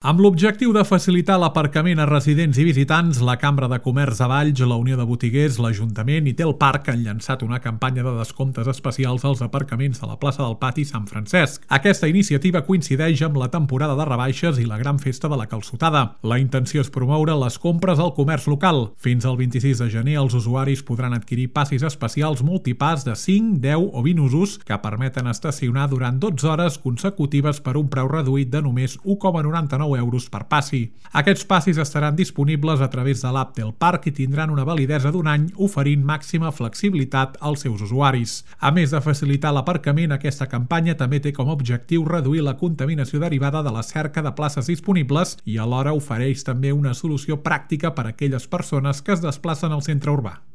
Amb l'objectiu de facilitar l'aparcament a residents i visitants, la Cambra de Comerç de Valls, la Unió de Botiguers, l'Ajuntament i Tel Parc han llançat una campanya de descomptes especials als aparcaments de la plaça del Pati Sant Francesc. Aquesta iniciativa coincideix amb la temporada de rebaixes i la gran festa de la calçotada. La intenció és promoure les compres al comerç local. Fins al 26 de gener els usuaris podran adquirir passis especials multipass de 5, 10 o 20 usos que permeten estacionar durant 12 hores consecutives per un preu reduït de només 1,99 euros per passi. Aquests passis estaran disponibles a través de l'app del parc i tindran una validesa d'un any, oferint màxima flexibilitat als seus usuaris. A més de facilitar l'aparcament, aquesta campanya també té com a objectiu reduir la contaminació derivada de la cerca de places disponibles i alhora ofereix també una solució pràctica per a aquelles persones que es desplacen al centre urbà.